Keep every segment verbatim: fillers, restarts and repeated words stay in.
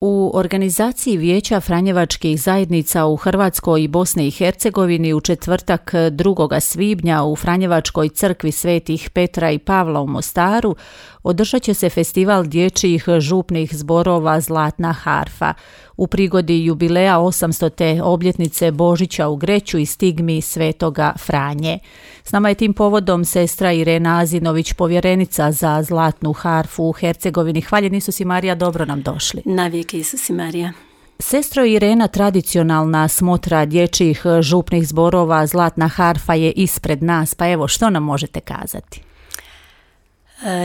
U organizaciji Vijeća Franjevačkih zajednica u Hrvatskoj i Bosni i Hercegovini u četvrtak drugog svibnja u Franjevačkoj crkvi Svetih Petra i Pavla u Mostaru održat će se festival dječjih župnih zborova Zlatna harfa u prigodi jubileja osamstote obljetnice Božića u Greću i stigmi Svetoga Franje. S nama je tim povodom sestra Irena Azinović, povjerenica za Zlatnu harfu u Hercegovini. Hvaljen Isus i Marija, dobro nam došli. Navijek Isus i Marija. Sestro Irena, tradicionalna smotra dječjih župnih zborova Zlatna harfa je ispred nas, pa evo što nam možete kazati?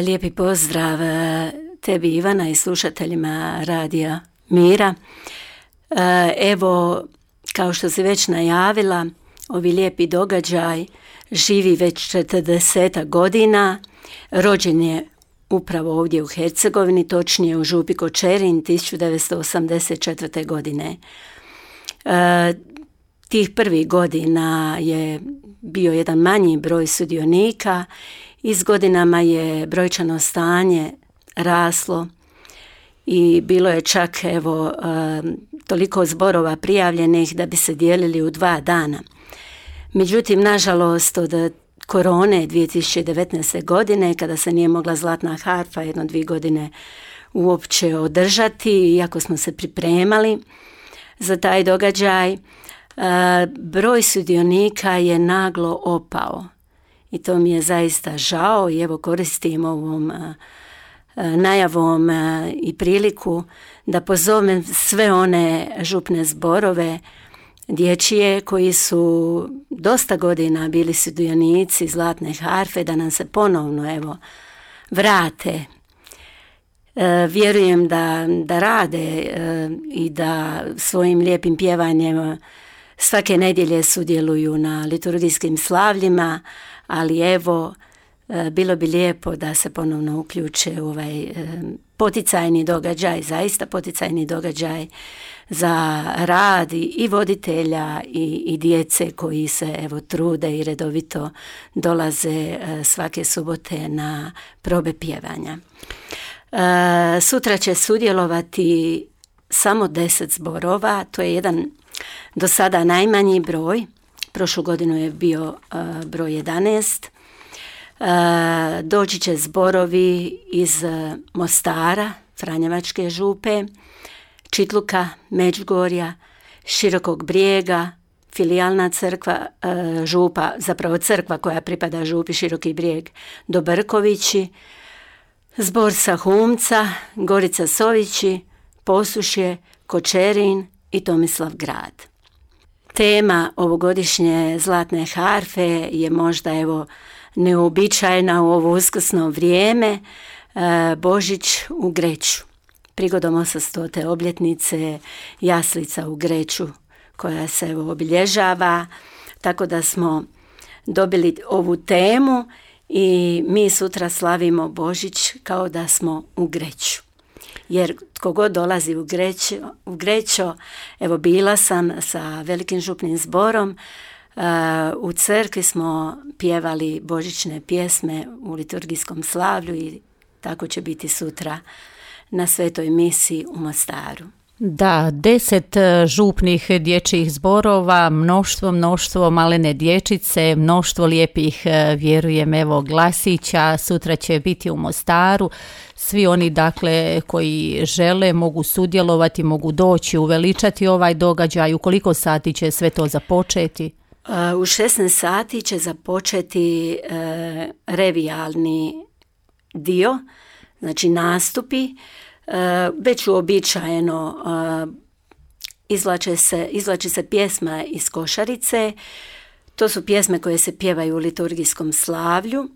Lijepi pozdrav tebi Ivana i slušateljima Radija Mira. Evo, kao što si već najavila, ovi lijepi događaj živi već četrdeset godina, rođen je upravo ovdje u Hercegovini, točnije u župi Kočerin tisuću devetsto osamdeset četvrte. godine. E, tih prvih godina je bio jedan manji broj sudionika i s godinama je brojčano stanje raslo i bilo je čak evo e, toliko zborova prijavljenih da bi se dijelili u dva dana. Međutim, nažalost, od korone dvije tisuće devetnaeste. godine, kada se nije mogla Zlatna harfa jedno dvije godine uopće održati, iako smo se pripremali za taj događaj, broj sudionika je naglo opao. I to mi je zaista žao i evo koristim ovom najavom i priliku da pozovem sve one župne zborove dječje koji su dosta godina bili sudionici Zlatne harfe da nam se ponovno evo vrate. E, vjerujem da, da rade e, i da svojim lijepim pjevanjem svake nedjelje sudjeluju na liturgijskim slavljima, ali evo e, bilo bi lijepo da se ponovno uključe u ovaj e, poticajni događaj, zaista poticajni događaj za rad i voditelja i, i djece koji se evo trude i redovito dolaze svake subote na probe pjevanja. E, sutra će sudjelovati samo deset zborova, to je jedan do sada najmanji broj, prošlu godinu je bio e, broj jedanaest. E, doći će zborovi iz Mostara, Franjevačke župe, Čitluka, Međugorja, Širokog Brijega, filijalna crkva, e, župa, zapravo crkva koja pripada župi Široki Brijeg, Dobrkovići, zbor sa Humca, Gorica Sovići, Posušje, Kočerin i Tomislav grad. Tema ovogodišnje Zlatne harfe je možda evo neuobičajena u ovo uskrsno vrijeme, e, Božić u Greću. Prigodom osamstote obljetnice jaslica u Greću koja se evo obilježava, tako da smo dobili ovu temu i mi sutra slavimo Božić kao da smo u Greću. Jer tko god dolazi u Grećo, u Grećo, evo bila sam sa velikim župnim zborom, uh, u crkvi smo pjevali božićne pjesme u liturgijskom slavlju i tako će biti sutra na svetoj misi u Mostaru. Da, deset župnih dječjih zborova, mnoštvo, mnoštvo malene dječice, mnoštvo lijepih, vjerujem, evo glasića, sutra će biti u Mostaru. Svi oni, dakle, koji žele mogu sudjelovati, mogu doći, uveličati ovaj događaj. U koliko sati će sve to započeti? U šesnaest sati će započeti e, revijalni dio, znači nastupi. Već uobičajeno izvlače se, izvlači se pjesma iz košarice. To su pjesme koje se pjevaju u liturgijskom slavlju,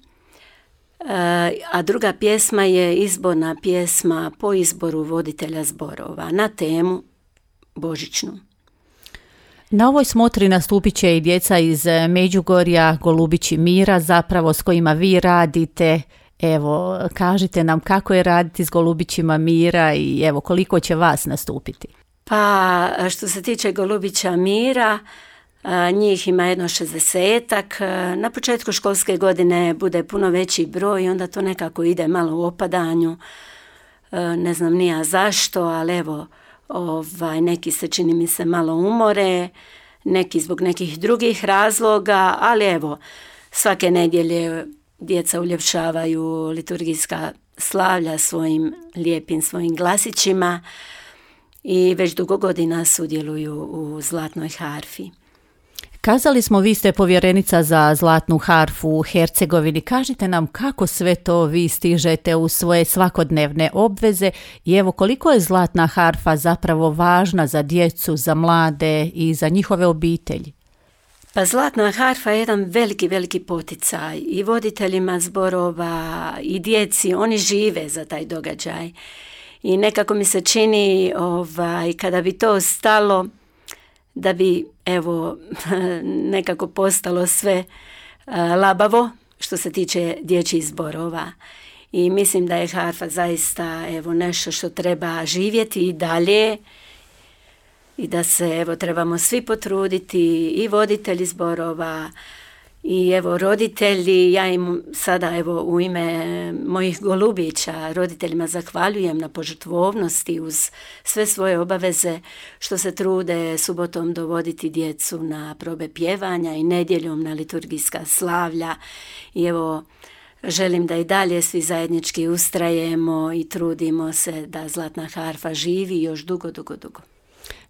a druga pjesma je izborna pjesma po izboru voditelja zborova na temu božićnu. Na ovoj smotri nastupit će i djeca iz Međugorja, Golubići Mira, zapravo s kojima vi radite. Evo, kažite nam kako je raditi s Golubićima Mira i evo koliko će vas nastupiti. Pa što se tiče Golubića Mira, njih ima jedno šezdesetak. Na početku školske godine bude puno veći broj i onda to nekako ide malo u opadanju. Ne znam ni ja zašto, ali evo ovaj, neki se čini mi se malo umore, neki zbog nekih drugih razloga, ali evo, svake nedjelje djeca uljepšavaju liturgijska slavlja svojim lijepim svojim glasićima i već dugo godina sudjeluju u Zlatnoj harfi. Kazali smo, vi ste povjerenica za Zlatnu harfu u Hercegovini. Kažite nam kako sve to vi stižete u svoje svakodnevne obveze i evo koliko je Zlatna harfa zapravo važna za djecu, za mlade i za njihove obitelji? Pa Zlatna harfa je jedan veliki, veliki poticaj i voditeljima zborova i djeci, oni žive za taj događaj. I nekako mi se čini ovaj, kada bi to stalo, da bi evo nekako postalo sve uh, labavo što se tiče dječjih zborova. I mislim da je harfa zaista evo nešto što treba živjeti i dalje i da se evo trebamo svi potruditi i voditelji zborova i evo roditelji. Ja im sada evo u ime mojih golubića roditeljima zahvaljujem na požrtvovnosti uz sve svoje obaveze što se trude subotom dovoditi djecu na probe pjevanja i nedjeljom na liturgijska slavlja. I evo želim da i dalje svi zajednički ustrajemo i trudimo se da Zlatna harfa živi još dugo, dugo, dugo.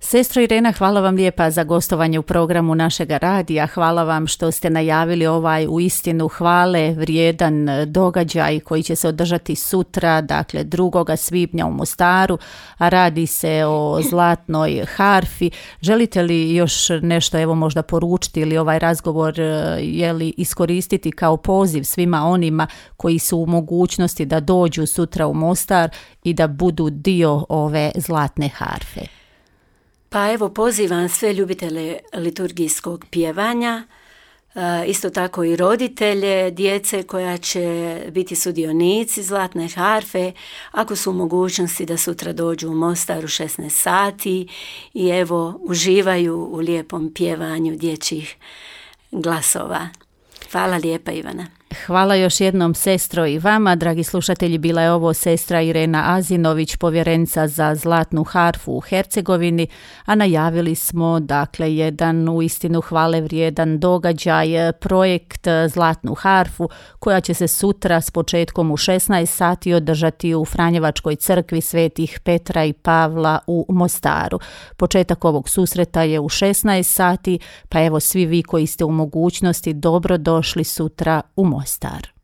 Sestro Irena, hvala vam lijepa za gostovanje u programu našega radija. Hvala vam što ste najavili ovaj uistinu hvale vrijedan događaj koji će se održati sutra, dakle drugog svibnja u Mostaru, a radi se o Zlatnoj harfi. Želite li još nešto evo možda poručiti ili ovaj razgovor je li iskoristiti kao poziv svima onima koji su u mogućnosti da dođu sutra u Mostar i da budu dio ove Zlatne harfe? Pa evo pozivam sve ljubitelje liturgijskog pjevanja, isto tako i roditelje, djece koja će biti sudionici Zlatne harfe, ako su u mogućnosti da sutra dođu u Mostar u šesnaest sati i evo uživaju u lijepom pjevanju dječjih glasova. Hvala lijepa, Ivana. Hvala još jednom, sestro, i vama. Dragi slušatelji, bila je ovo sestra Irena Azinović, povjerenica za Zlatnu harfu u Hercegovini, a najavili smo dakle jedan uistinu hvale vrijedan događaj, projekt Zlatnu harfu, koja će se sutra s početkom u šesnaest sati održati u Franjevačkoj crkvi svetih Petra i Pavla u Mostaru. Početak ovog susreta je u šesnaest sati, pa evo svi vi koji ste u mogućnosti dobro došli sutra u Mostar.